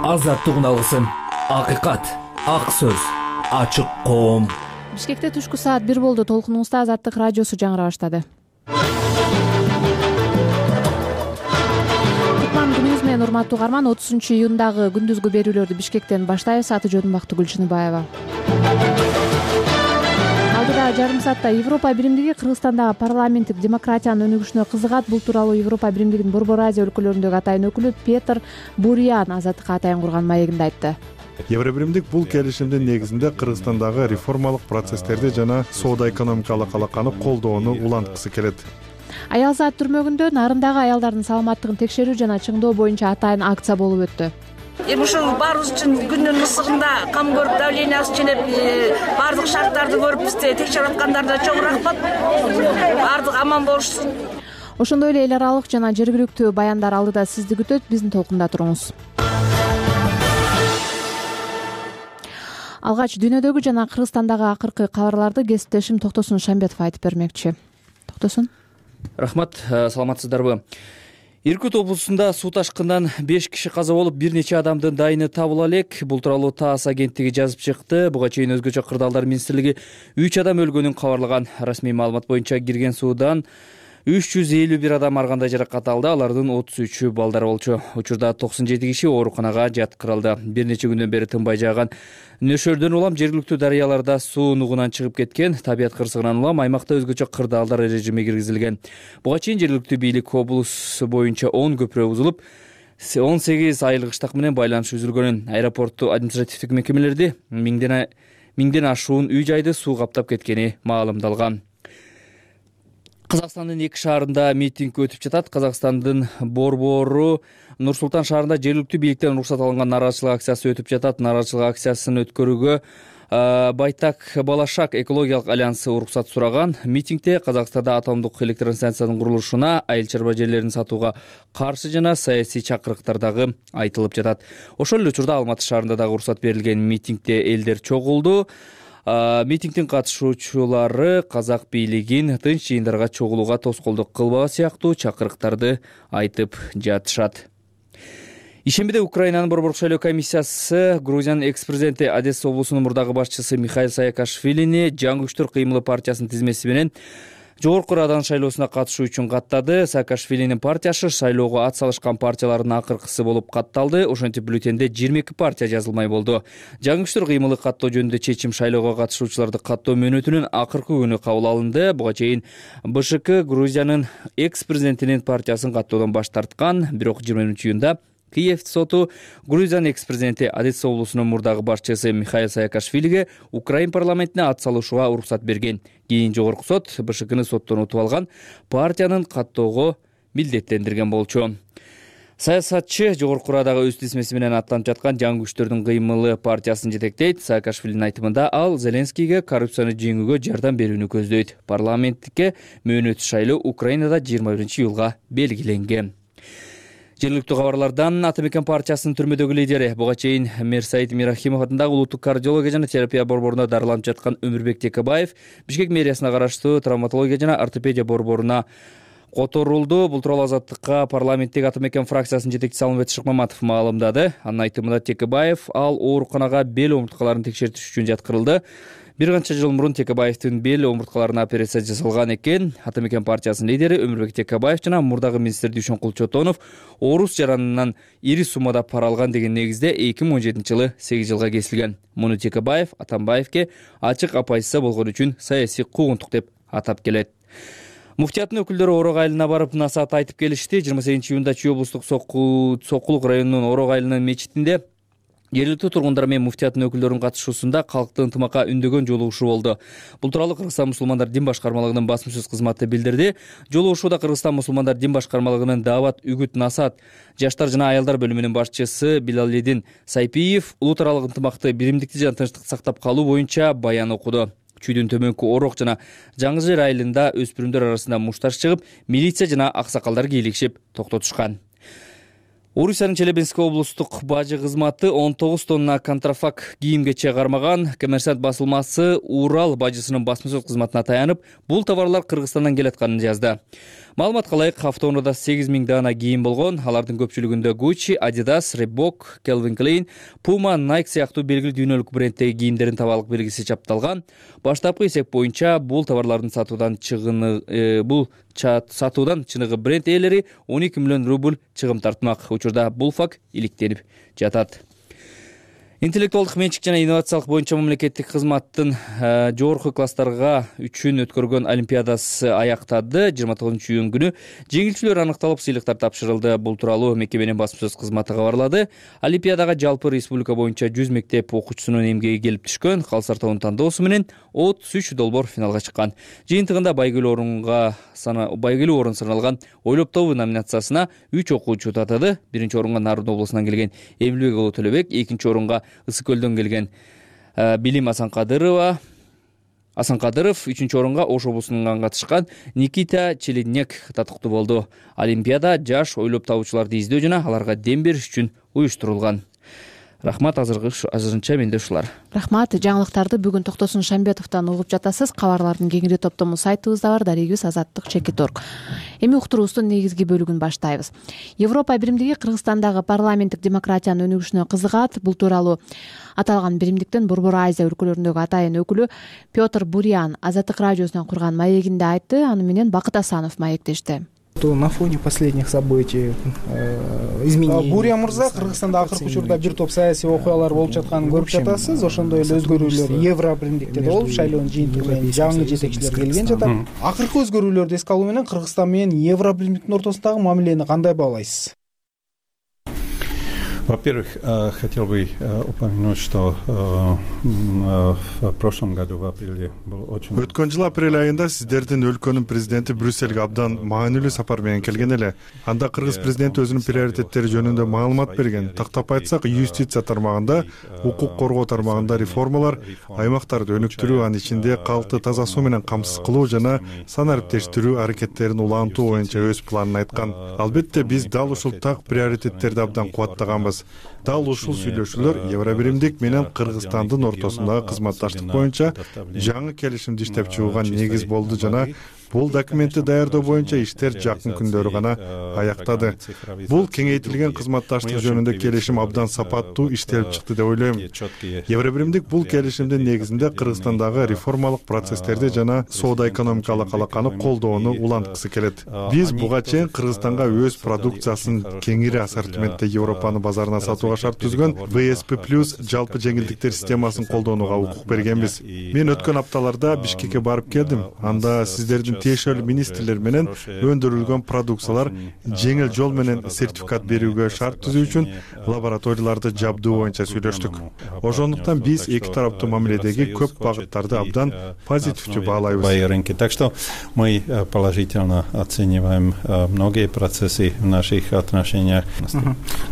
азаттык үналысын, акыйкат, ак сөз, ачык коом. Бишкекте түшкү саат 1 болду. Толкунуңузда Азаттык радиосу жаңыра баштады. Күнүңүз менен урматтуу угарман, 30-июндагы күндүзгү берүүлөрдү Бишкектен баштайбыз. Аты жөнүм Бактыгүл Чыныбаева. Алдыда жарым саатта Европа биримдиги Кыргызстандагы парламенттик демократиянын өнүгүшүнө кызыгат. Бул тууралуу Европа биримдигинин Борбор Азия өлкөлөрүндөгү атайын өкүлү Петр Бурян Азаттыкка атайын курган маегинде айтты. Евробиримдик бул келишимдин негизинде Кыргызстандагы реформалык процесстерди жана соода-экономикалык алаканы колдоону уланткысы келет. Аял саат түрмөгүндө нарындагы аялдардын саламаттыгын текшерүү жана чыңдоо боюнча атайын акция болуп өттү. Ушул баарыбыз үчүн күндүн ысыгында кам көрүп, давлениясы ченеп, баардык шарттарды көрүп бизди текшерип аткандарына чоң рахмат. Баардык аман болушсун. Ошондой эле эл аралык жана жергиликтүү баяндар алдыда сизди күтөт. Биздин толкунда туруңуз. Алгач дүйнөдөгү жана Кыргызстандагы акыркы кабарларды кесиптешим Токтосун Шамбетов айтып бермекчи. Токтосун. Рахмат, саламатсыздарбы? Иркут облусунда суу ташкындан 5 киши каза болуп, бир нече адамдын дайыны табыла элек. Бул тууралуу ТАСС агенттиги жазып чыкты. Буга чейин өзгөчө кырдаалдар министрлиги 3 адам өлгөнүн кабарлаган. Расмий маалымат боюнча кирген суудан 351 адам ар кандай жаракат алды. Алардын 33-ü балдар болчу. Учурда 97 киши ооруканага жаткырылды. Бир нече күндөн бери тынбай жааган нөшөрдөн улам жергиликтүү дарыяларда суу нугунан чыгып кеткен. Табият кырсыгынан улам аймакта өзгөчө кырдаалдар режими киргизилген. Буга чейин жергиликтүү бийлик облус боюнча 10 көпүрө бузулуп, 18 айылык ыштак менен байланыш үзүлгөнүн, аэропортту административдик мекемелерди миңден ашуун үй-жайды суу каптап кеткени маалымдалган. Казакстандын 2 шаарында митинг өтүп жатат. Казакстандын борбору Нур-Султан шаарында жергиликтүү бийликтен уруксат алынган нааразычылык акциясы өтүп жатат. Нааразычылык акциясын өткөрүүгө Байтак Балашак экологиялык альянсы уруксат сураган. Митингде Казакстанда атомдук электростанциянын курулушуна, айыл чарба жерлерин сатууга каршы жана саясий чакырыктар дагы айтылып жатат. Ошол эле учурда Алматы шаарында дагы уруксат берилген. Митингде элдер чогулду. Митингдин катышуучулары казак бийлигин тынч жыйындарга чогулууга тоскоолдук кылбоо сыяктуу чакырыктарды айтып жатышат. Ишембиде Украинанын борборлук шайлоо комиссиясы Грузиянын экс-президенти Одесса облусунун мурдагы башчысы Михаил Саакашвилини Жаңы күчтөр кыймылы партиясынын тизмеси менен Жогорку Радан шайлоосуна катышуу үчүн каттады. Саакашвилинин партиясы шайлоого ат салышкан партиялардын акыркысы болуп катталды. Ошентип бюллетенде 22 партия жазылмай болду. Жаңы күчтөр кыймылы каттоо жөнүндө чечим шайлоого катышуучуларды каттоо мөөнөтүнүн акыркы күнү кабыл алынды. Буга чейин БШК Грузиянын экс-президентинин партиясын каттоодон баш тарткан. Бирок 20-июнда Киев соту Грузиянын экс-президенти Одесса облусунун мурдагы башчысы Михаил Саакашвилиге Украин парламентине ат салышууга уруксат берген. Кийин жогорку сот БШКны соттон утуп алган партиянын каттоого милдеттендирген болчу. Саясатчы Жогорку Радага өз тизмеси менен аттанып жаткан Жаңы күчтөрдүн кыймылы партиясын жетектейт. Саакашвилинин айтымында ал Зеленскийге коррупцияны жеңүүгө жардам берүүнү көздөйт. Парламенттикке мөөнөтсүз шайлоо Украинада 21-июлга белгиленген. Жергиликтүү кабарлардан Ата Мекен партиясынын түрмөдөгү лидери буга чейин Мерсайит Мирахимов атындагы улуттук кардиология жана терапия борборуна дарыланып жаткан Өмүрбек Текебаев Бишкек мэриясына караштуу травматология жана ортопедия борборуна которулду. Бул тууралуу Азаттыкка парламенттик Ата Мекен фракциясынын жетекчиси Алмамбет Шыкмаматов маалымдады. Анын айтымында Текебаев ал ооруканага бел омурткаларын текшертиш үчүн жаткырылды. Бир канча жыл мурун Текебаевдин бел омурткаларына операция жасалган экен. Ата Мекен партиясынын лидери Өмүрбек Текебаев жана мурдагы министр Дүйшөнкул Чотонов оорус жаранынан ири суммада пара алган деген негизде 2017-жылы 8 жылга кесилген. Муну Текебаев Атамбаевке ачык апайсыза болгон үчүн саясий куугунтук деп атап келет. Муфтияттын өкүлдөрү Орок айылына барып насаат айтып келишти. 28-июнда Чүй облустук Сокулук районунун Орок айылынын мечитинде жергиликтүү тургундар менен муфтияттын өкүлдөрүнүн катышуусунда калктын ынтымакка үндөгөн жолугушуу болду. Бул тууралуу Кыргызстан мусулмандар дин башкармалыгынын басма-сөз кызматы билдирди. Жолугушууда Кыргызстан мусулмандар дин башкармалыгынын даават, үгүт, насаат, жаштар жана аялдар бөлүмүнүн башчысы Билалидин Сайпиев улут аралык ынтымакты, биримдикти жана тынчтыкты сактап калуу боюнча баян окуду. Чүйдүн төмөнкү Орок жана Жаңы Жер айылында өспүрүмдөр арасында мушташ чыгып, милиция жана аксакалдар кийлигишип токтотушкан. Орусиянын Челябинск облустук бажы кызматы 19 тонна контрафакт кийим-кече кармаган. Коммерсант басылмасы Урал бажысынын басма сөз кызматына таянып, бул товарлар Кыргызстандан келатканын жазды. Маалыматка ылайык, автоунаада 8000 дана кийим болгон. Алардын көпчүлүгүндө Gucci, Adidas, Reebok, Calvin Klein, Puma, Nike сыяктуу белгилүү дүйнөлүк брендтеги кийимдердин табалык белгиси чапталган. Баштапкы эсеп боюнча бул товарлардын сатуудан чыныгы бренд ээлери 12 миллион рубль чыгым тартмак. Учурда бул факт иликтенип жатат. Интеллектуалдык менчик жана инновациялык боюнча мамлекеттик кызматтын жогорку класстарга үчүн өткөргөн олимпиадасы аяктады. 29-июнь күнү жеңилчүлөр аныкталып, сыйлыктар тапшырылды. Бул тууралуу мекеменин басма сөз кызматы кабарлады. Олимпиадага жалпы республика боюнча 100 мектеп окуучусунун эмгеги келип түшкөн. Калсартоонун тандоосу менен 33 долбоор финалга чыккан. Жыйынтыгында байгелүү орун саналган Ойлоп тобу номинациясына 3 окуучу татады. Биринчи орунга Нарын облусунан келген Эмилбек уулу Төлөбек, экинчи орунга Ысык көлдөн келген Билим Асанкадыров, үчүнчү орунга Ош облусунан катышкан Никита Челедняк татыктуу болду. Олимпиада жаш ойлоп табуучуларды издөө жана аларга дем бериш үчүн уюштурулган. Рахмат, азырынча менде ушулар. Рахмат. Жаңылыктарды бүгүн Токтосун Шамбетовдон угуп жатасыз. Кабарлардын кеңири топтому сайтыбызда бар, дарегибиз azаттык.org. Эми уктуруубуздун негизги бөлүгүн баштайбыз. Европа биримдиги Кыргызстандагы парламенттик демократиянын өнүгүшүнө кызыгат. Бул тууралуу аталган биримдиктин Борбор Азия өлкөлөрүндөгү атайын өкүлү Петр Бурян Азаттык радиосунан курган маегинде айтты. Аны менен Бакыт Асанов маектешти. На фоне последних событий изменений. Буря мырза, Кыргызстанда акыркы учурда бир топ саясий окуялар болуп жатканын көрүп жатасыз. Ошондой эле өзгөрүүлөр Евро биримдикте болуп, шайлоонун жыйынтыгы менен жаңы жетекчилер келген жатат. Акыркы өзгөрүүлөрдү эске алуу менен Кыргызстан менен Евро биримдиктин ортосундагы мамилени кандай баалайсыз? Во-первых, хотел бы упомянуть, что в прошлом году в апреле был очень... Өткөн жыл апрель айында сиздердин өлкөнүн президенти Брюссельге абдан маанилүү сапар менен келген эле. Анда кыргыз президенти өзүнүн приоритеттери жөнүндө маалымат берген. Тактап айтсак, юстиция тармагында, укук коргоо тармагында реформалар, аймактарды өнүктүрүү, анын ичинде калкты таза суу менен камсыз кылуу жана санариптештирүү аракеттерин улантуу боюнча өз планын айткан. Албетте, биз дал ушул так приоритеттерди абдан кубаттаганбыз. Дал ушул сүйлөшүүлөр Евробиримдик менен Кыргызстандын ортосундагы кызматташтык боюнча жаңы келишимди иштеп чыгууга негиз болду жана бул документти даярдоо боюнча иштер жакын күндөрү гана аяктады. Бул кеңейтилген кызматташтык жөнүндө келишим абдан сапаттуу иштелип чыкты деп ойлойм. Евробиримдик бул келишимдин негизинде Кыргызстандагы реформалык процесстерди жана соода-экономикалык алаканы колдоону уланткысы келет. Биз буга чейин Кыргызстанга өз продукциясын кеңири ассортиментте Европанын базарына сатууга шарт түзгөн ВСП+ жалпы жеңилдиктер системасын колдонууга укук бергенбиз. Мен өткөн апталарда Бишкекке барып келдим. Анда сиздердин тиешелүү министрлер менен өндүрүлгөн продукциялар жеңил жол менен сертификат берүүгө шарт түзүү үчүн лабораторияларды жабдуу боюнча сүйлөштүк. Ошондуктан биз эки тараптуу мамиледеги көп багыттарды абдан позитивдүү баалайбыз. Так что мы положительно оцениваем многие процессы в наших отношениях.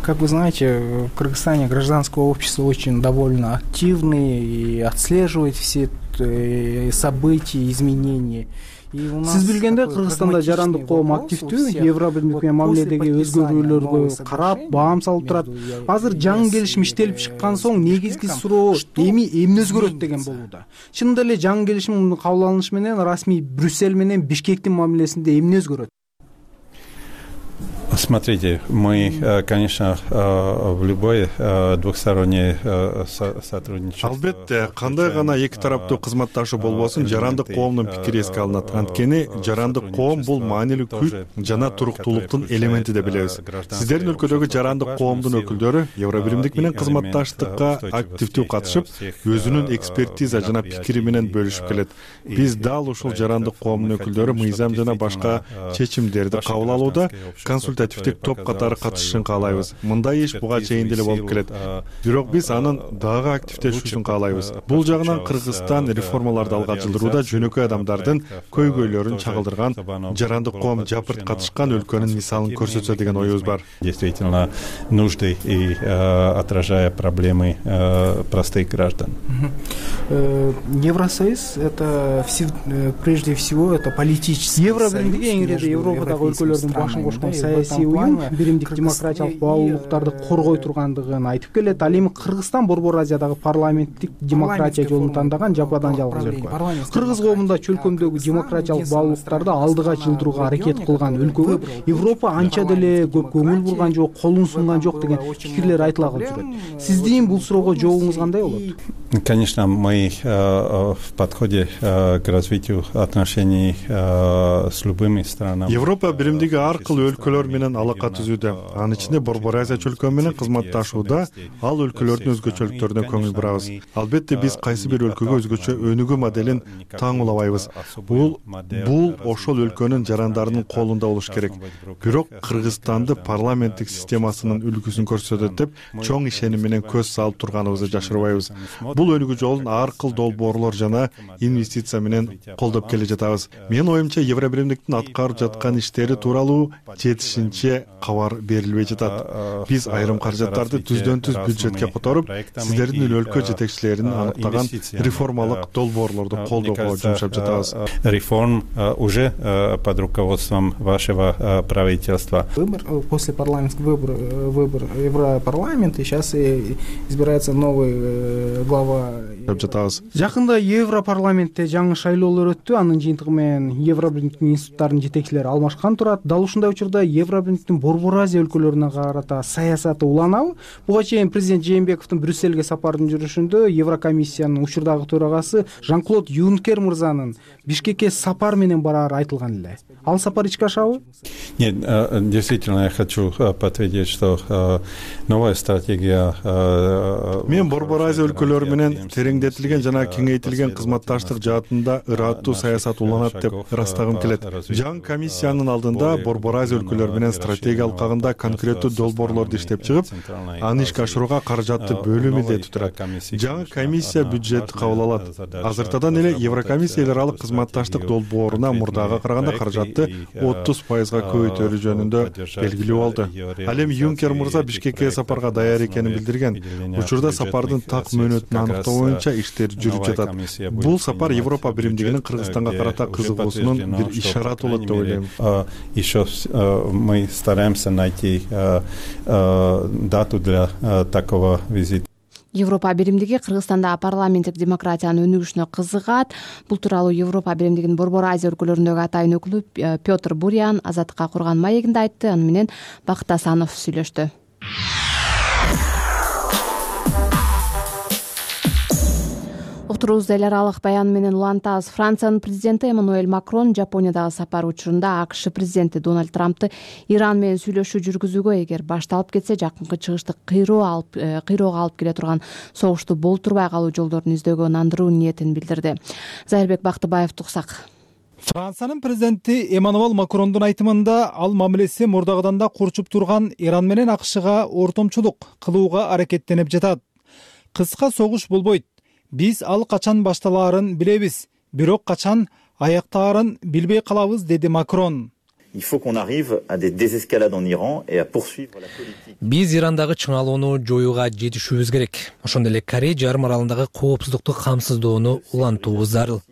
Как вы знаете, в Кыргызстане гражданское общество очень довольно активное и отслеживает все события, изменения. Сиз билгендей, Кыргызстанда жарандык коом активдүү, Евробиримдик менен мамиледеги өзгөрүүлөргө карап, баам салып турат. Азыр жаңы келишим иштелип чыккан соң негизги суроо эмне өзгөрөт деген болууда. Чынында эле жаңы келишим кабыл алынышы менен расмий Брюссель менен Бишкектин мамилесинде эмне өзгөрөт? Смотрите, мы, конечно, в любое двухстороннее сотрудничество. Албетте, кандай гана эки тараптуу кызматташуу болбосун, жарандык коомдун пикири эске алынат. Анткени жарандык коом бул маанилүү күч жана туруктуулуктун элементи деп билебиз. Сиздердин өлкөдөгү жарандык коомдун өкүлдөрү Евробиримдик менен кызматташтыкка активдүү катышып, өзүнүн экспертиза жана пикири менен бөлүшүп келет. Биз дал ушул жарандык коомдун өкүлдөрү мыйзам жана башка чечимдерди кабыл алууда консультативдик топ катары катышышын каалайбыз. Мындай иш буга чейин деле болуп келет. Бирок биз анын дагы активдешүүсүн каалайбыз. Бул жагынан Кыргызстан реформаларды алга жылдырууда жөнөкөй адамдардын көйгөйлөрүн чагылдырган, жарандык коом жапырт катышкан өлкөнүн мисалын көрсөтсө деген оюбуз бар. Действительно нужды и отражая проблемы простых граждан. Евросоюз это прежде всего это политический. Евробиримдик эң ири Европадагы өлкөлөрдүн башын кошкон саясий саясий уюм биримдик демократиялык баалуулуктарды коргой тургандыгын айтып келет. Ал эми Кыргызстан Борбор Азиядагы парламенттик демократия жолун тандаган жападан жалгыз өлкө. Кыргыз коомунда чөлкөмдөгү демократиялык баалуулуктарды алдыга жылдырууга аракет кылган өлкөгө Европа анча деле көп көңүл бурган жок, колун сунган жок деген пикирлер айтыла калып жүрөт. Сиздин бул суроого жообуңуз кандай болот? Конечно, мы в подходе к развитию отношений с любыми странами. Европа биримдиги ар кыл өлкөлөр менен алака түзүүдө. Анын ичинде Борбор Азия чөлкөмү менен кызматташууда ал өлкөлөрдүн өзгөчөлүктөрүнө көңүл бурабыз. Албетте биз кайсы бир өлкөгө өзгөчө өнүгүү моделин таңуулабайбыз. Бул ошол өлкөнүн жарандарынын колунда болуш керек. Бирок Кыргызстанды парламенттик системасынын үлгүсүн көрсөтөт деп чоң ишеним менен көз салып турганыбызды жашырбайбыз. Бул өнүгүү жолун ар кыл долбоорлор жана инвестиция менен колдоп келе жатабыз. Менин оюмча Евробиримдиктин аткарып жаткан иштери тууралуу жетишинче кабар берилбей жатат. Биз айрым каражаттарды түздөн түз бюджетке которуп, сиздердин өлкө жетекчилеринин аныктаган реформалык долбоорлорду колдоого жумшап жатабыз. Реформ уже под руководством вашего правительства. После парламентского выбора Европарламента сейчас избирается новый глава. Жакында Европарламентте жаңы шайлоолор өттү. Анын жыйынтыгы менен Евробиримдиктин институттарынын жетекчилери алмашкан турат. Дал ушундай учурда Евробиримдиктин Борбор Азия өлкөлөрүнө карата саясаты уланабы? Буга чейин президент Жээнбековдун Брюссельге сапардын жүрүшүндө Еврокомиссиянын учурдагы төрагасы Жан-Клод Юнкер мырзанын Бишкекке сапар менен барары айтылган эле. Ал сапар ичке ашабы? Нет, действительно, я хочу подтвердить, что новая стратегия. Мен Борбор Азия өлкөлөрү менен тереңдетилген жана кеңейтилген кызматташтык жаатында ыраттуу саясат уланат деп ырастагым келет. Жаңы комиссиянын алдында Борбор Азия өлкөлөрү менен стратегия алкагында конкреттүү долбоорлорду иштеп чыгып, аны ишке ашырууга каражатты бөлүү милдети турат. Жаңы комиссия бюджетти кабыл алат. Азыртадан эле Еврокомиссия эл аралык кызматташтык долбооруна мурдага караганда каражатты 30%га көбөйтөрүү жөнүндө белгилүү болду. Ал эми Юнкер мырза Бишкекке сапарга даяр экенин билдирген. Учурда сапардын так мөөнөтүн аныктоо боюнча иштер жүрүп жатат. Бул сапар Европа биримдигинин Кыргызстанга карата кызыгуусунун бир ишараты болот деп ойлойм. Еще мы стараемся найти дату для такого визита. Европа биримдиги Кыргызстанда парламенттик демократиянын өнүгүшүнө кызыгат. Бул тууралуу Европа биримдигинин Борбор Азия өлкөлөрүндөгү атайын өкүлү Петр Бурян Азаттыкка курган маегинде айтты. Аны менен Бакыт Асанов сүйлөштү. Уктуруубузду эл аралык баян менен улантабыз. Франциянын президенти Эммануэль Макрон Жапониядагы сапары учурунда АКШ президенти Дональд Трампты Иран менен сүйлөшүү жүргүзүүгө эгер башталып кетсе жакынкы чыгышты кыйроого алып келе турган согушту болтурбай калуу жолдорун издөөгө ынандыруу ниетин билдирди. Зайырбек Бактыбаев туксак. Франциянын президенти Эммануэль Макрондун айтымында ал мамилеси мурдагыдан да курчуп турган Иран менен АКШга ортомчулук кылууга аракеттенип жатат. Кыска согуш болбойт. Биз ал качан башталаарын билебиз, бирок качан аяктаарын билбей калабыз, деди Макрон. Биз Ирандагы чыңалууну жоюуга жетишүүбүз керек. Ошондой эле Корей жарым аралындагы коопсуздукту камсыздоону улантуубуз зарыл.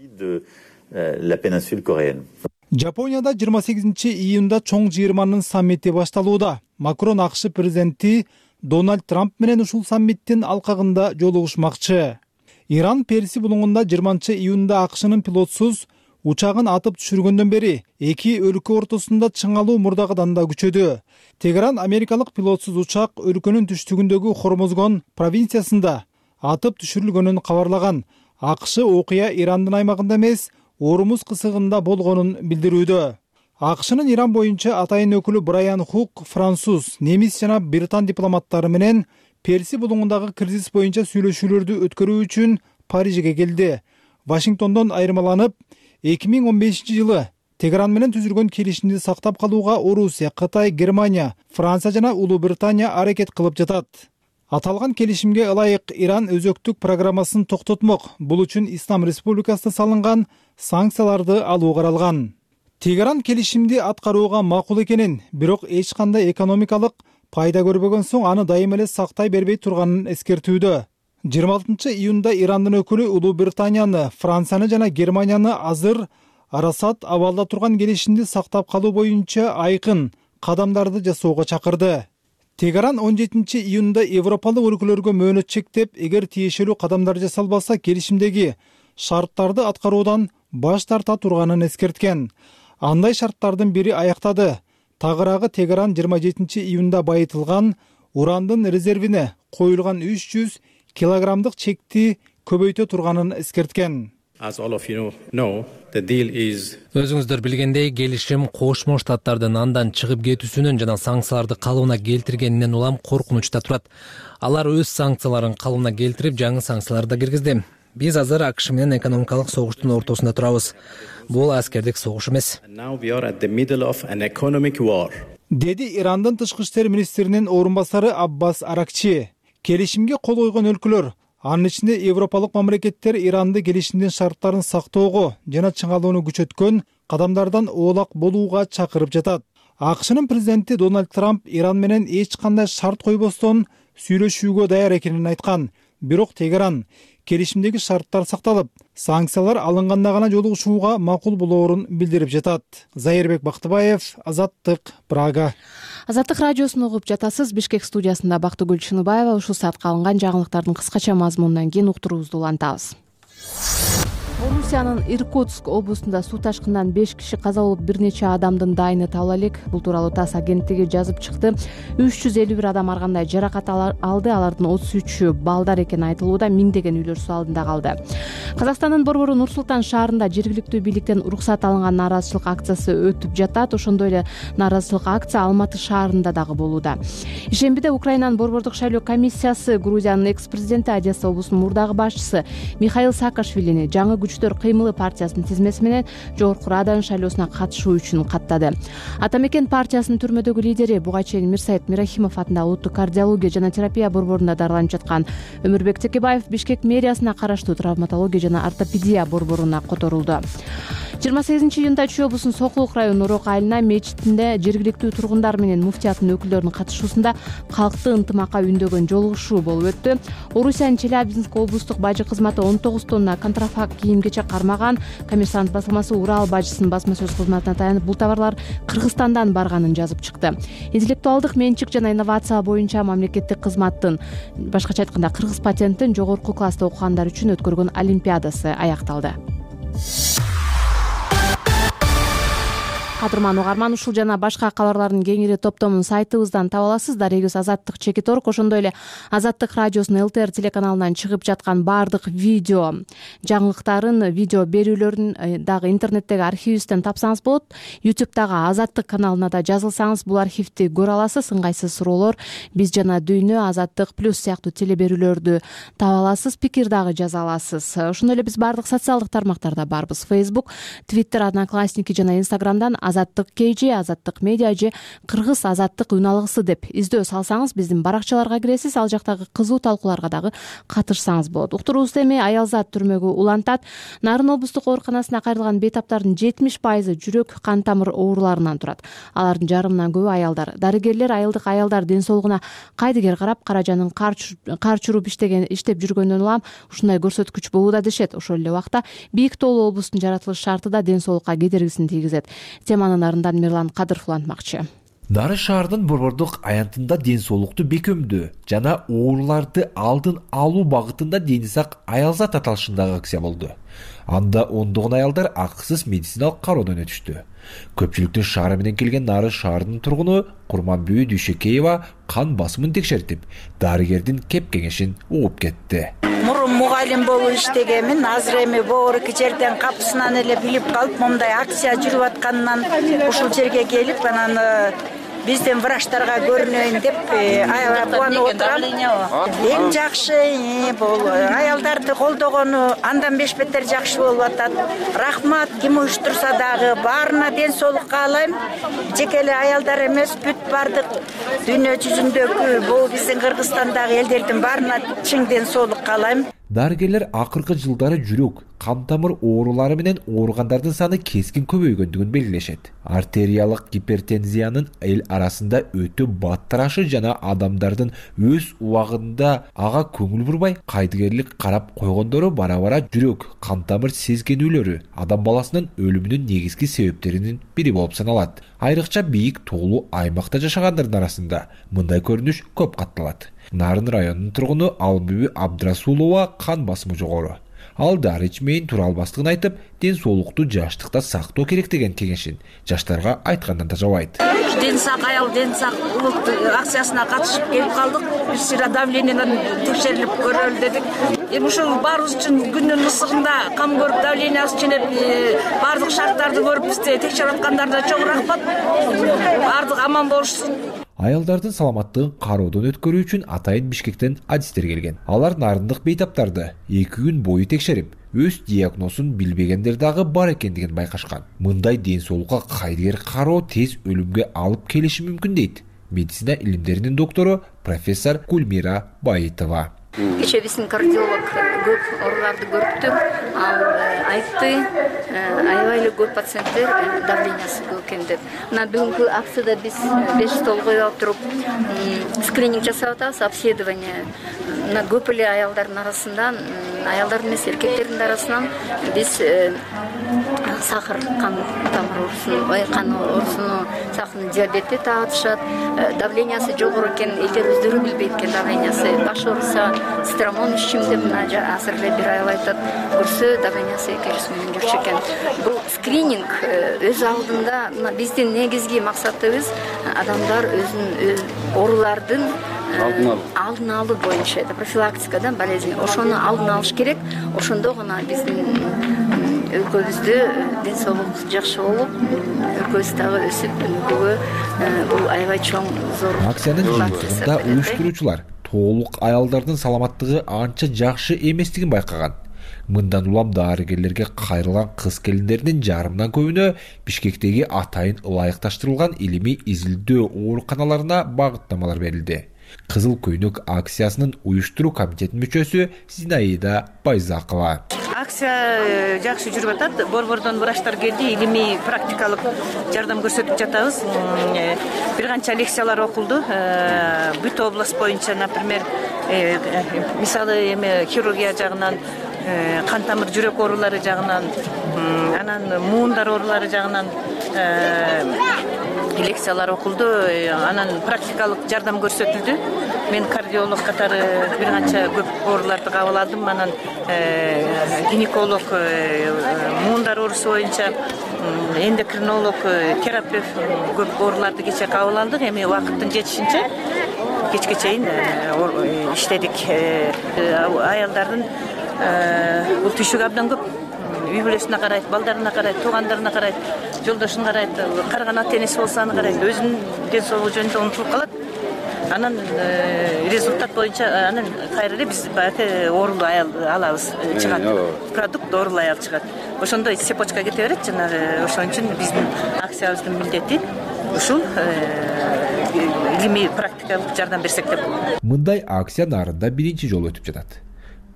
Жапонияда 28-июнда чоң жыйырманын саммити башталууда. Макрон АКШ президенти Дональд Трамп менен ушул саммиттин алкагында жолугушмакчы. Иран Перси булуңунда 20-июнда АКШнын пилотсуз учагын атып түшүргөндөн бери эки өлкө ортосунда чыңалуу мурдагыдан да күчөдү. Тегеран америкалык пилотсуз учак өлкөнүн түштүгүндөгү Хормозгон провинциясында атып түшүрүлгөнүн кабарлаган. АКШ окуя Ирандын аймагында эмес, Ормуз кысыгында болгонун билдирүүдө. АКШнын Иран боюнча атайын өкүлү Брайан Хук француз, немис жана британ дипломаттары менен Перси булуңундагы кризис боюнча сүйлөшүүлөрдү өткөрүү үчүн Парижге келди. Вашингтондон айырмаланып, 2015-жылы Тегеран менен түзүлгөн келишимди сактап калууга Орусия, Кытай, Германия, Франция жана Улуу Британия аракет кылып жатат. Аталган келишимге ылайык Иран өзөктүк программасын токтотмок. Бул үчүн Ислам Республикасына салынган санкцияларды алуу каралган. Тегеран келишимди аткарууга макул экенин, бирок эч кандай экономикалык пайда көрбөгөн соң аны дайым эле сактай бербей турганын эскертүүдө. 26-июнда Ирандын өкүлү Улуу Британияны, Францияны жана Германияны азыр арасат абалда турган келишимди сактап калуу боюнча айкын кадамдарды жасоого чакырды. Тегеран 17-июнда европалык өлкөлөргө мөөнөт чектеп, эгер тиешелүү кадамдар жасалбаса, келишимдеги шарттарды аткаруудан баш тарта турганын эскерткен. Андай шарттардын бири аяктады. Тагыраагы Тегеран 27-июнда байытылган урандын резервине коюлган 300 килограммдык чекти көбөйтө турганын эскерткен. Өзүңүздөр билгендей, келишим Кошмо Штаттардын андан чыгып кетүүсүнөн жана санкцияларды калыбына келтиргенинен улам коркунучта турат. Алар өз санкцияларын калыбына келтирип, жаңы санкцияларды да киргизди. Биз азыр АКШ менен экономикалык согуштун ортосунда турабыз. Бул аскердик согуш эмес. Деди Ирандын тышкы иштер министринин орун басары Аббас Аракчи. Келишимге кол койгон өлкөлөр, анын ичинде европалык мамлекеттер Иранды келишимдин шарттарын сактоого жана чыңалууну күчөткөн кадамдардан оолак болууга чакырып жатат. АКШнын президенти Дональд Трамп Иран менен эч кандай шарт койбостон сүйлөшүүгө даяр экенин айткан. Бирок Тегеран келишимдеги шарттар сакталып, санкциялар алынганда гана жолугушууга макул болоорун билдирип жатат. Зайырбек Бактыбаев, Азаттык, Прага. Азаттык радиосун угуп жатасыз. Бишкек студиясында Бактыгүл Чыныбаева. Ушул саатка алынган жаңылыктардын кыскача мазмунунан кийин уктуруубузду улантабыз. Орусиянын Иркутск облусунда суу ташкынынан 5 киши каза болуп, бир нече адамдын дайыны табыла элек. Бул тууралуу ТАСС агенттиги жазып чыкты. 351 адам ар кандай жаракат алды. Алардын 33-ü балдар экени айтылууда. Миңдеген үйлөр суу алдында калды. Казакстандын борбору Нур-Султан шаарында жергиликтүү бийликтен уруксат алынган нааразычылык акциясы өтүп жатат. Ошондой эле нааразычылык акция Алматы шаарында дагы болууда. Ишембиде Украинанын борбордук шайлоо комиссиясы Грузиянын экс-президенти, Одесса облусунун мурдагы башчысы Михаил Саакашвилини жаңы күчтөр кыймылы партиясынын тизмеси менен Жогорку Радан шайлоосуна катышуу үчүн каттады. Атамекен партиясынын түрмөдөгү лидери буга чейин Мирсайыт Мирахимов атындагы улуттук кардиология жана терапия борборунда дарыланып жаткан Өмүрбек Текебаев Бишкек мэриясына караштуу травматология жана ортопедия борборуна которулду. 28-июнда Чүй облусунун Сокулук районунун Урок айылына мечитинде жергиликтүү тургундар менен муфтияттын өкүлдөрүнүн катышуусунда калкты ынтымакка үндөгөн жолугушуу болуп өттү. Орусиянын Челябинск облустук бажы кызматы 19 тонна контрафакт кийим-кечек кармаган. Коммерсант басылмасы Урал бажысынын басма сөз кызматына таянып, бул товарлар Кыргызстандан барганын жазып чыкты. Интеллектуалдык менчик жана инновация боюнча мамлекеттик кызматтын, башкача айтканда кыргыз патенттин жогорку класста окугандар үчүн өткөргөн олимпиадасы аякталды. Кадырман угарман, ушул жана башка кабарлардын кеңири топтомун сайтыбыздан таба аласыз. Дарегиз Азаттык /org, ошондой эле Азаттык радиосунун ЛТР телеканалынан чыгып жаткан баардык видео жаңылыктарын, видео берүүлөрүн дагы интернеттеги архивибизден тапсаңыз болот. YouTube'дагы Азаттык каналына да жазылсаңыз бул архивди көрө аласыз. Ыңгайсыз суроолор, биз жана дүйнө, Азаттык плюс сыяктуу телеберүүлөрдү таба аласыз, пикир дагы жаза аласыз. Ошондой эле биз баардык социалдык тармактарда барбыз. Facebook, Twitter, Одноклассники жана Instagram'дан Азаттык KG, Азаттык Медиа же Кыргыз Азаттык үн алгысы деп издөө салсаңыз биздин баракчаларга киресиз. Ал жактагы кызуу талкууларга дагы катышсаңыз болот. Уктуруубуз эми Аялзат түрмөгү улантат. Нарын облустук ооруканасына кайрылган бейтаптардын 70% жүрөк кан тамыр ооруларынан турат. Алардын жарымынан көбү аялдар. Дарыгерлер айылдык аялдар ден соолугуна кайдыгер карап, каражанын кар чуруп иштеп жүргөндөн улам ушундай көрсөткүч болууда дешет. Ошол эле убакта бийик тоолуу облустун жаратылыш шарты да ден соолукка кедергисин тийгизет. Теманын нарындан Мирлан Кадыров улантмакчы. Нарын шаарынын борбордук аянтында ден соолукту бекемдөө жана ооруларды алдын алуу багытында Дени сак Аялзат аталышындагы акция болду. Анда ондогон аялдар акысыз медициналык кароодон өтүштү. Көпчүлүктүн шаары менен келген Нарын шаарынын тургуну Курманбүй Дүйшөкеева кан басымын текшертип, дарыгердин кеп кеңешин угуп кетти. Мурун мугалим болуп иштегенмин, азыр эми боор эки жерден капысынан эле билип калып, момундай акция жүрүп атканынан ушул жерге келип, анан биздин врачтарга көрүнөйүн деп кубанып отурам. Эң жакшы бул аялдарды колдогону андан беш бетер жакшы болуп атат. Рахмат, ким уюштурса дагы баарына ден соолук каалайм. Жеке эле аялдар эмес, бүт бардык дүйнө жүзүндөгү бул биздин Кыргызстандагы элдердин баарына чың ден соолук каалайм. Дарыгерлер акыркы жылдары жүрөк, кан тамыр оорулары менен ооругандардын саны кескин көбөйгөндүгүн белгилешет. Артериялык гипертензиянын эл арасында өтө баттырашы жана адамдардын өз убагында ага көңүл бурбай, кайдыгерлик карап койгондору бара-бара жүрөк, кан тамыр сезгенүүлөрү адам баласынын өлүмүнүн негизги себептеринин бири болуп саналат. Айрыкча бийик тоолуу аймакта жашагандардын арасында мындай көрүнүш көп катталат. Нарын районунун тургуну Албүбү Абдрасулова кан басымы жогору. Ал дары ичмейин тура албастыгын айтып, ден соолукту жаштыкта сактоо керек деген кеңешин жаштарга айткандан да жабайт. Ден сак аял, ден сак улут акциясына катышып келип калдык. Биз сыра давлениеден текшерилип көрөлү дедик. Эми ушул баарыбыз үчүн күндүн ысыгында кам көрүп, давлениябыз ченеп, баардык шарттарды көрүп бизди текшерип аткандарына чоң рахмат. Баардык аман болушсун. Аялдардын саламаттыгын кароодон өткөрүү үчүн атайын Бишкектен адистер келген. Алар нарындык бейтаптарды 2 күн бою текшерип, өз диагнозун билбегендер дагы бар экендигин байкашкан. Мындай ден соолукка кайдыгер кароо тез өлүмгө алып келиши мүмкүн дейт медицина илимдеринин доктору профессор Гульмира Баитова. Кечээ биздин кардиолог көп ооруларды көрүптү. Ал айтты, аябай эле көп пациенттер давлениясы көп экен деп. Мына бүгүнкү акцияда биз 5 стол коюп туруп скрининг жасап атабыз, обследование. Мына көп эле аялдардын арасынан, аялдардын эмес эркектердин арасынан биз сахар, кан тамыр оорусуну, кан оорусуну, сахарный диабетти таатышат. Давлениясы жогору экен, элдер өздөрү билбейт экен давлениясы. Баш ооруса стромон ичим деп мына азыр эле бир айыл айтат, көрсө давлениясы 200 миң жүрчү экен. Бул скрининг өз алдында мына биздин негизги максатыбыз адамдар өзүнүн оорулардын алдын алуу боюнча, это профилактикадан болезнь. Ошону алдын алыш керек. Ошондо гана биздин өлкөбүздө ден соолук жакшы болуп, өлкөбүз дагы өсүп, өлкөгө бул аябай чоң зор. Акциянын жыйынтыгында уюштуруучулар тоолук аялдардын саламаттыгы анча жакшы эместигин байкаган. Мындан улам дарыгерлерге кайрылган кыз келиндердин жарымдан көбүнө Бишкектеги атайын ылайыкташтырылган илимий изилдөө ооруканаларына багыттамалар берилди. Кызыл көйнөк акциясынын уюштуруу комитетинин мүчөсү Зинаида Байзакова. Акция жакшы жүрүп атат. Борбордон врачтар келди, илимий практикалык жардам көрсөтүп жатабыз. Бир канча лекциялар окулду. Бүт область боюнча, например, мисалы эми хирургия жагынан, кан тамыр жүрөк оорулары жагынан, анан муундар оорулары жагынан лекциялар окулду, анан практикалык жардам көрсөтүлдү. Мен кардиолог катары бир канча көп ооруларды кабыл алдым. Анан гинеколог муундар оорусу боюнча, эндокринолог, терапевт көп ооруларды кечээ кабыл алдык. Эми убакыттын жетишинче кечке чейин иштедик. Аялдардын бул түйшүгү абдан көп. Үй бүлөсүнө карайт, балдарына карайт, туугандарына карайт, жолдошун карайт, карыган ата энеси болсо аны карайт, өзүнүн ден соолугу жөнүндө унутулуп калат. Анан результат боюнча анан кайра эле биз баягы оорулуу аял алабыз, чыгат. Продукт оорулуу аял чыгат. Ошондо цепочка кете берет. Жанагы ошон үчүн биздин акциябыздын милдети ушул илимий практикалык жардам берсек деп. Мындай акция нарында биринчи жолу өтүп жатат.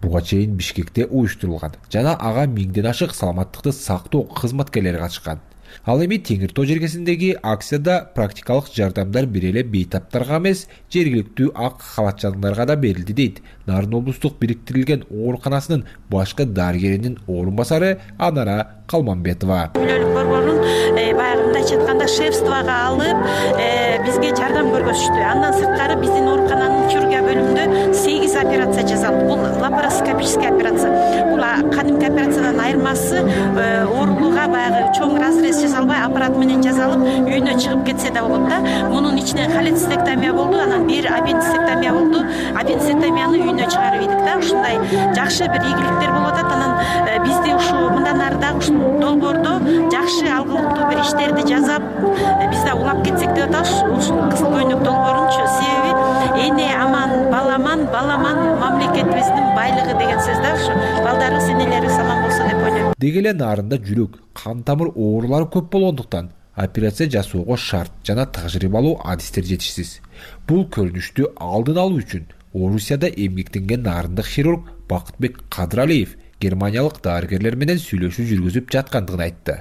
Буга чейин Бишкекте уюштурулган жана ага 1000ден ашык саламаттыкты сактоо кызматкерлери катышкан. Ал эми Теңир Тоо жергесиндеги акцияда практикалык жардамдар бир эле бейтаптарга эмес, жергиликтүү ак халатчандарга да берилди дейт Нарын облустук бириктирилген ооруканасынын башкы дарыгеринин орун басары Анара Калманбетова. Мүлөлүк борборун баягы мындайча айтканда шефствого алып, бизге жардам көргөзүштү. Андан сырткары биздин оорукананын хирургия бөлүмүндө 8 операция жасалды. Бул лапароскопический операция. Бул кадимки операциядан айырмасы оорулууга баягы чоң разрез жасалбай, аппарат менен жасалып, үйүнө чыгып кетсе да болот да. Мунун ичине холецистектомия болду, анан бир аппендицектомия болду. Аппендицектомияны үйүнө чыгарып ийдик да. Ушундай жакшы бир ийгиликтер болуп атат. Анан бизди ушу мындан ары дагы ушул долбоордо жакшы алгылыктуу бир иштерди жасап, биз да улап кетсек деп атабыз. Ушул кызыл көйнөк долбоорунчу себеби эне аман, баламан мамлекетибиздин байлыгы деген сөз да. Ушу балдарыбыз, энелерибиз аман болсо деп ойлойм. Деги эле нарында жүрөк, кан тамыр оорулары көп болгондуктан операция жасоого шарт жана тажрыйбалуу адистер жетишсиз. Бул көрүнүштү алдын алуу үчүн Орусияда эмгектенген нарындык хирург Бакытбек Кадыралиев германиялык дарыгерлер менен сүйлөшүү жүргүзүп жаткандыгын айтты.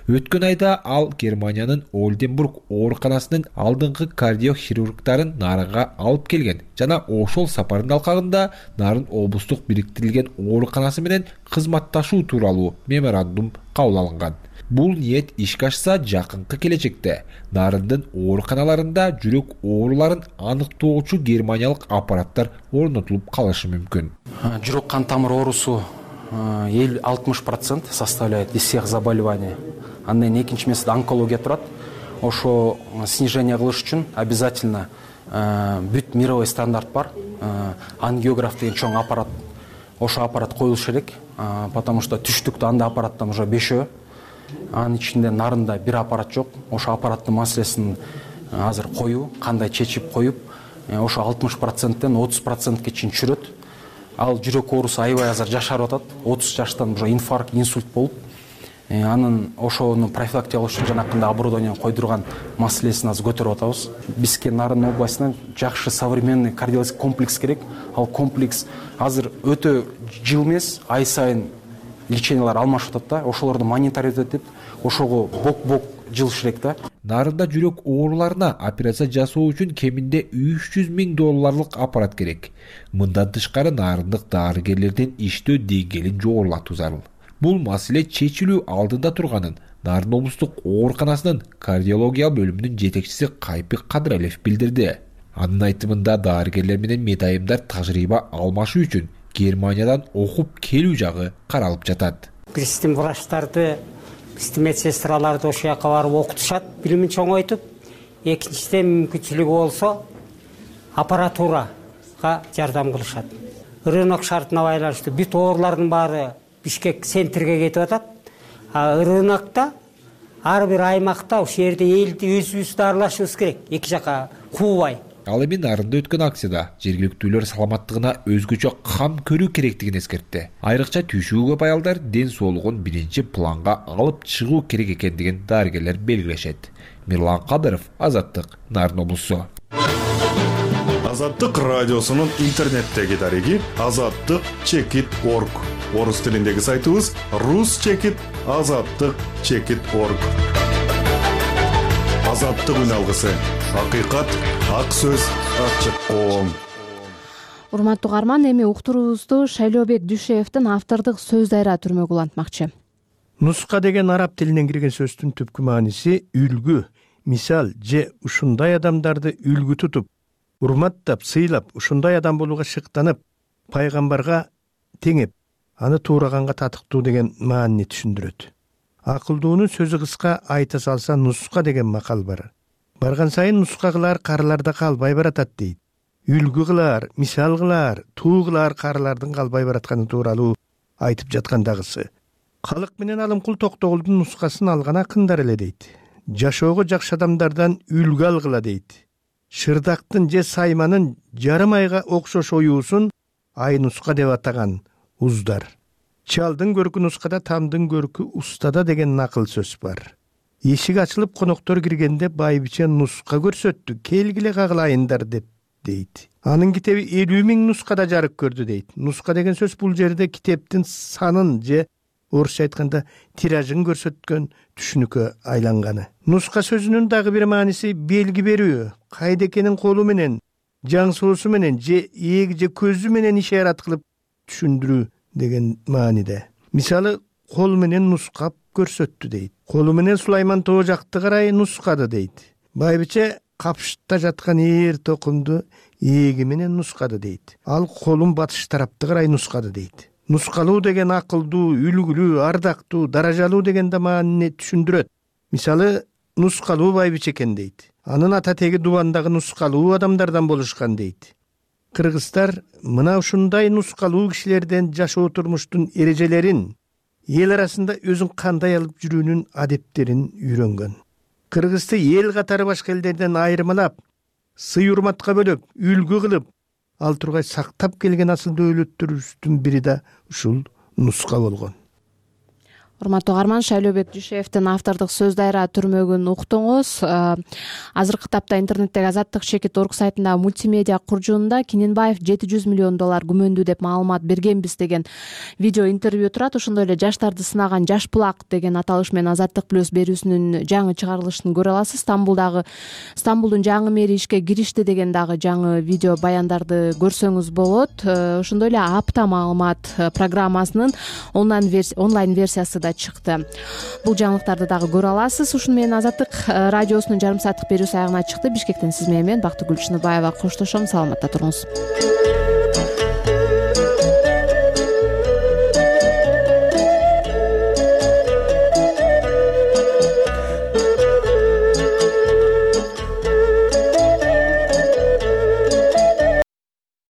Өткөн айда ал Германиянын Ольденбург ооруканасынын алдыңкы кардиохирургдарын Нарынга алып келген жана ошол сапардын алкагында Нарын облустук бириктирилген ооруканасы менен кызматташуу тууралуу меморандум кабыл алынган. Бул ниет ишке ашса, жакынкы келечекте Нарындын ооруканаларында жүрөк ооруларын аныктоочу германиялык аппараттар орнотулуп калышы мүмкүн. Жүрөк кан тамыр оорусу 60% составляет из всех заболеваний. Андан экинчи месте онкология турат. Ошо снижение кылыш үчүн обязательно бүт мировой стандарт бар. Ангиограф деген чоң аппарат. Ошо аппарат коюлуш керек, потому что түштүктө анда аппараттан уже 5. Анын ичинде нарында бир аппарат жок. Ошо аппараттын маселесин азыр коюу, кандай чечип коюп, ошо 60%тен 30%ке чейин чүрөт. Ал жүрөк оорусу аябай азыр жашарып атат. 30 жаштан уже инфаркт, инсульт болуп, анын ошону профилактикалоо үчүн жанакындай оборудование койдурган маселесин азыр көтөрүп атабыз. Бизге Нарын областынан жакшы современный кардиологический комплекс керек. Ал комплекс азыр өтө жыл эмес, ай сайын лечениялар алмашып атат да, ошолорду мониторить этип, ошого бок жылыш керек да. Нарында жүрөк ооруларына операция жасоо үчүн кеминде $300,000 аппарат керек. Мындан тышкары нарындык дарыгерлердин иштөө деңгээлин жогорулатуу зарыл. Бул маселе чечилүү алдында турганын Нарын облустук ооруканасынын кардиология бөлүмүнүн жетекчиси Кайпик Кадыралиев билдирди. Анын айтымында дарыгерлер менен медайымдар тажрыйба алмашуу үчүн Германиядан окуп келүү жагы каралып жатат. Биздин врачтарды, биздин медсестраларды ошол жака барып окутушат, билимин чоңойтуп. Экинчиден мүмкүнчүлүгү болсо аппаратурага жардам кылышат. Рынок шартына байланыштуу бүт оорулардын баары Бишкек центрге кетип атат. Рынокто ар бир аймакта ошол жерде элди өзүбүз дарылашыбыз керек, эки жака куубай. Ал эми Нарында өткөн акцияда жергиликтүүлөр саламаттыгына өзгөчө кам көрүү керектигин эскертти. Айрыкча түйшүгү көп аялдар ден соолугун биринчи планга алып чыгуу керек экендигин дарыгерлер белгилешет. Мирлан Кадыров, Азаттык, Нарын облусу. Азаттык радиосунун интернеттеги дареги azattik.org. Орус тилиндеги сайтыбыз rus.azattik.org. Азаттык үн алгысы. Акыйкат, ак сөз, ачык коом. Урматтуу угарман, эми уктуруубузду Шайлообек Дүйшеевдин автордук сөз дайра түрмөгү улантмакчы. Нуска деген араб тилинен кирген сөздүн түпкү мааниси үлгү, мисал же ушундай адамдарды үлгү тутуп, урматтап, сыйлап, ушундай адам болууга шыктанып, пайгамбарга теңеп, аны туураганга татыктуу деген маанини түшүндүрөт. Акылдуунун сөзү кыска айта салса нуска деген макал бар. Барган сайын нуска кылар карыларда калбай баратат дейт. Үлгү кылар, мисал кылар, туу кылар карылардын калбай баратканы тууралуу айтып жаткандагысы. Калык менен Алымкул Токтогулдун нускасын алган акындар эле дейт. Жашоого жакшы адамдардан үлгү алгыла дейт. Шырдактын же сайманын жарым айга окшош оюусун ай нуска деп атаган уздар. Чалдын көркү нускада, тамдын көркү устада деген накыл сөз бар. Эшик ачылып коноктор киргенде байбиче нуска көрсөттү, келгиле кагылайындар деп дейт. Анын китеби 50,000 нускада жарык көрдү дейт. Нуска деген сөз бул жерде китептин санын же орусча айтканда тиражын көрсөткөн түшүнүккө айланганы. Нуска сөзүнүн дагы бир мааниси белги берүү, кайда экенин колу менен, жаңсоосу менен же ээги же көзү менен ишарат кылып түшүндүрүү деген мааниде. Мисалы, кол менен нускап көрсөттү дейт. Колу менен Сулайман тоо жакты карай нускады дейт. Байбиче капшытта жаткан ээр токумду ээги менен нускады дейт. Ал колун батыш тарапты карай нускады дейт. Нускалуу деген акылдуу, үлгүлүү, ардактуу, даражалуу деген да маанини түшүндүрөт. Мисалы, нускалуу байбиче экен дейт. Анын ата теги дубандагы нускалуу адамдардан болушкан дейт. Кыргыздар мына ушундай нускалуу кишилерден жашоо турмуштун эрежелерин, эл арасында өзүн кандай алып жүрүүнүн адептерин үйрөнгөн. Кыргызды эл катары башка элдерден айырмалап, сый урматка бөлөп, үлгү кылып, ал тургай сактап келген асыл дөөлөттөрүбүздүн бири да ушул нуска болгон. Урматтуу угарман, Шайлообек Дүйшеевдин автордук сөз дайра түрмөгүн уктуңуз. Азыркы тапта интернеттеги azattik.org сайтында мультимедиа куржунунда Кененбаев $700 миллион күмөндүү деп маалымат бергенбиз деген видео интервью турат. Ошондой эле жаштарды сынаган Жаш булак деген аталыш менен Азаттык плюс берүүсүнүн жаңы чыгарылышын көрө аласыз. Стамбулдун жаңы мэри ишке киришти деген дагы жаңы видео баяндарды көрсөңүз болот. Ошондой эле апта маалымат программасынын онлайн версиясы да да чыкты. Бул жаңылыктарды дагы көрө аласыз. Ушуну менен Азаттык радиосунун жарым сааттык берүүсү аягына чыкты. Бишкектен сиз менен Бактыгүл Чыныбаева коштошом. Саламатта туруңуз.